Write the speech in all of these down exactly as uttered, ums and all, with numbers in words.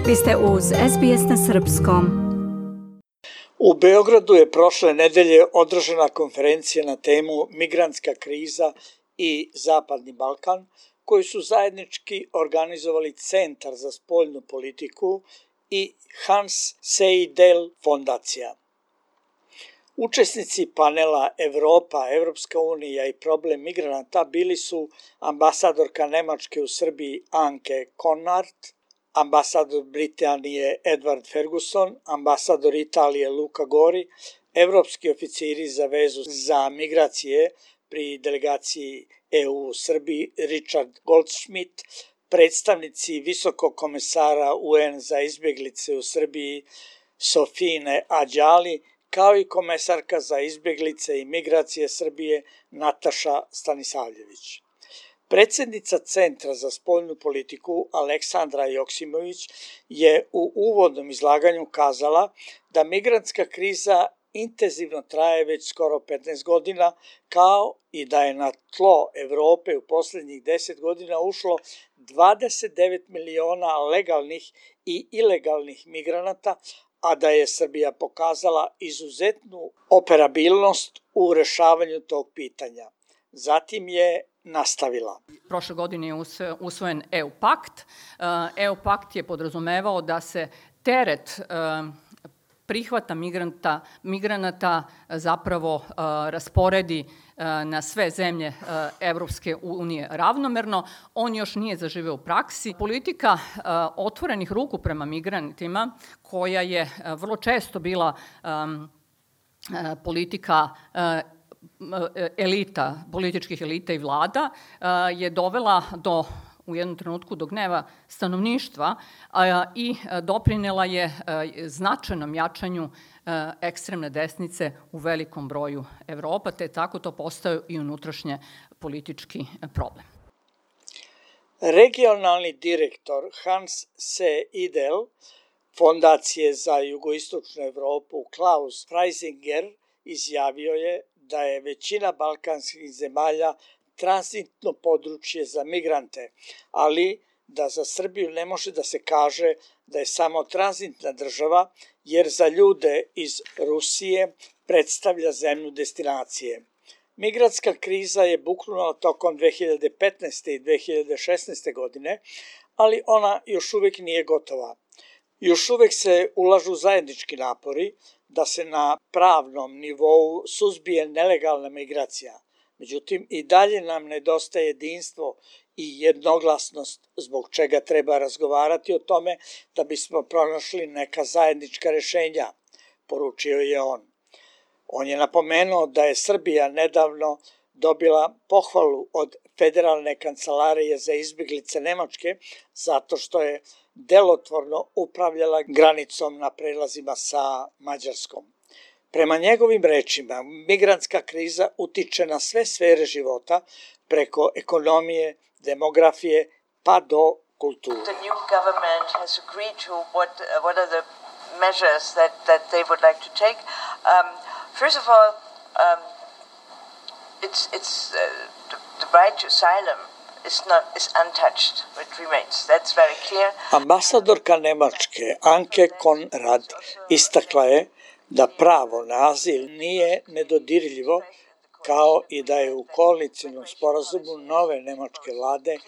Vi ste uz S B S na srpskom. U Beogradu je prošle nedelje održana konferencija na temu migrantska kriza i Zapadni Balkan, koju su zajednički organizovali Centar za spoljnu politiku i Hans Seidel fondacija. Učesnici panela Evropa, Evropska unija i problem migranata bili su ambasadorka Nemačke u Srbiji Anke Konart, ambasador Britanije Edward Ferguson, ambasador Italije Luca Gori, evropski oficiri za vezu za migracije pri delegaciji E U u Srbiji Richard Goldschmidt, predstavnici visokog komesara U N za izbjeglice u Srbiji Sofine Ađali, kao i komesarka za izbjeglice i migracije Srbije Nataša Stanisavljević. Predsjednica Centra za spoljnu politiku Aleksandra Joksimović je u uvodnom izlaganju kazala da migrantska kriza intenzivno traje već skoro petnaest godina, kao i da je na tlo Evrope u posljednjih deset godina ušlo dvadeset devet miliona legalnih i ilegalnih migranata, a da je Srbija pokazala izuzetnu operabilnost u rešavanju tog pitanja. Zatim je nastavila. Prošle godine je usvojen E U pakt. E U pakt je podrazumevao da se teret prihvata migranta, migranata zapravo rasporedi na sve zemlje Evropske unije ravnomerno. On još nije zaživeo u praksi. Politika otvorenih ruku prema migrantima, koja je vrlo često bila politika elita, političkih elita i vlada, je dovela do u jednom trenutku do gneva stanovništva i doprinela je značajnom jačanju ekstremne desnice u velikom broju Evropa, te tako to postao i unutrašnje politički problem. Regionalni direktor Hans Seidel fondacije za jugoistočnu Evropu Klaus Freisinger izjavio je da je većina balkanskih zemalja tranzitno područje za migrante, ali da za Srbiju ne može da se kaže da je samo tranzitna država, jer za ljude iz Rusije predstavlja zemlju destinacije. Migrantska kriza je buknula tokom dve hiljade petnaeste i dve hiljade šesnaeste godine, ali ona još uvijek nije gotova. Još uvijek se ulažu zajednički napori da se na pravnom nivou suzbije nelegalna migracija. Međutim, i dalje nam nedostaje jedinstvo i jednoglasnost, zbog čega treba razgovarati o tome da bismo pronašli neka zajednička rešenja, poručio je on. On je napomenuo da je Srbija nedavno dobila pohvalu od Federalne kancelarije za izbjeglice Nemačke zato što je delotvorno upravljala granicom na prelazima sa Mađarskom. Prema njegovim rečima, migrantska kriza utiče na sve sfere života, preko ekonomije, demografije, pa do kulture. The new government has agreed to what uh, what are the measures that that they would like to take. Um, first of all, um, it's it's uh, the, the right to asylum is not is untouched. It remains. That's very clear. Ambasadorka Nemačke Anke Konrad istakla je da pravo na azil nije nedodirljivo, kao i da je u koalicionom sporazumu nove nemačke vlade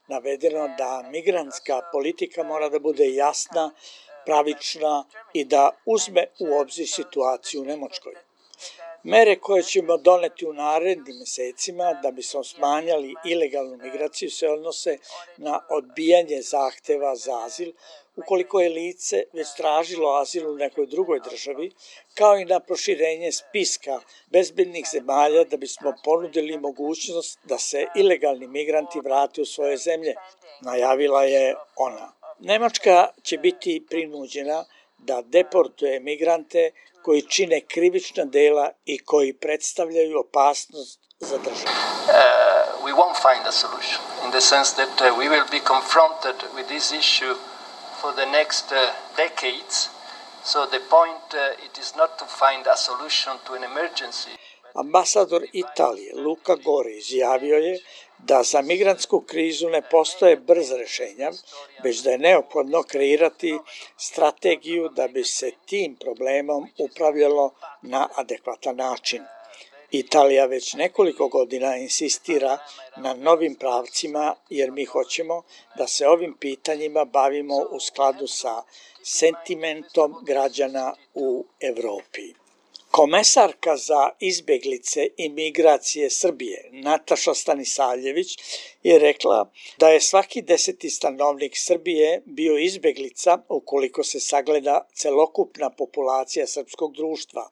navedeno da migrantska politika mora da bude jasna, pravična i da uzme u obzir situaciju u Nemačkoj. Mere koje ćemo doneti u narednim mesecima da bismo smanjali ilegalnu migraciju se odnose na odbijanje zahteva za azil, ukoliko je lice već tražilo azil u nekoj drugoj državi, kao i na proširenje spiska bezbednih zemalja da bismo ponudili mogućnost da se ilegalni migranti vrate u svoje zemlje, najavila je ona. Nemačka će biti prinuđena da deportuje migrante koji čine krivična dela i koji predstavljaju opasnost za državu. Uh, we won't find a solution in the sense that uh, we will be confronted with this issue for the next uh, decades. So the point uh, it is not to find a solution to an emergency. Ambasador Italije Luca Gori izjavio je da za migrantsku krizu ne postoje brza rešenja, već da je neophodno kreirati strategiju da bi se tim problemom upravljalo na adekvatan način. Italija već nekoliko godina insistira na novim pravcima jer mi hoćemo da se ovim pitanjima bavimo u skladu sa sentimentom građana u Evropi. Komesarka za izbeglice i migracije Srbije, Nataša Stanisavljević, je rekla da je svaki deseti stanovnik Srbije bio izbeglica ukoliko se sagleda celokupna populacija srpskog društva.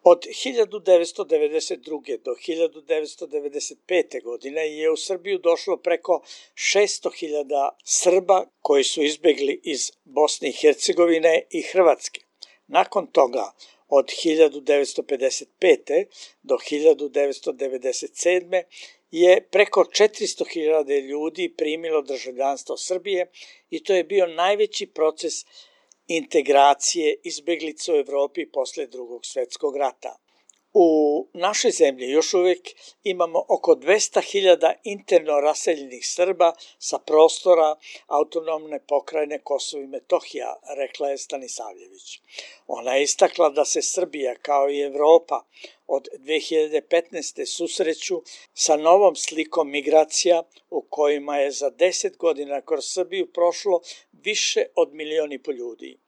Od hiljadu devetsto devedeset druge. do hiljadu devetsto devedeset pete. godine je u Srbiju došlo preko šesto hiljada Srba koji su izbegli iz Bosne i Hercegovine i Hrvatske. Nakon toga, od hiljadu devetsto pedeset pete. do hiljadu devetsto devedeset sedme. je preko četiristo hiljada ljudi primilo državljanstvo Srbije i to je bio najveći proces integracije izbeglica u Evropi posle Drugog svetskog rata. U našoj zemlji još uvijek imamo oko dvesta hiljada interno raseljenih Srba sa prostora autonomne pokrajine Kosovo i Metohija, rekla je Stanisavljević. Ona je istakla da se Srbija kao i Evropa od dve hiljade petnaeste. susreću sa novom slikom migracija u kojima je za deset godina kroz Srbiju prošlo više od milion i po ljudi.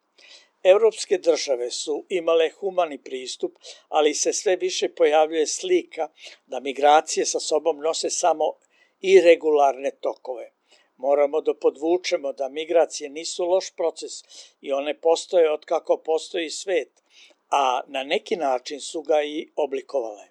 Evropske države su imale humani pristup, ali se sve više pojavljuje slika da migracije sa sobom nose samo iregularne tokove. Moramo da podvučemo da migracije nisu loš proces i one postoje od kako postoji svet, a na neki način su ga i oblikovale.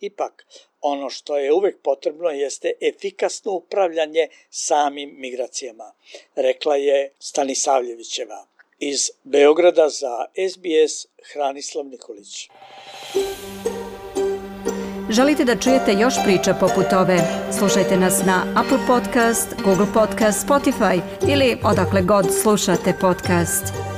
Ipak, ono što je uvek potrebno jeste efikasno upravljanje samim migracijama, rekla je Stanisavljevićeva. Iz Beograda za S B S Hranislav Nikolić. Želite da čujete još priča poput ove? Slušajte nas na Apple Podcast, Google Podcast, Spotify ili odakle god slušate podcast.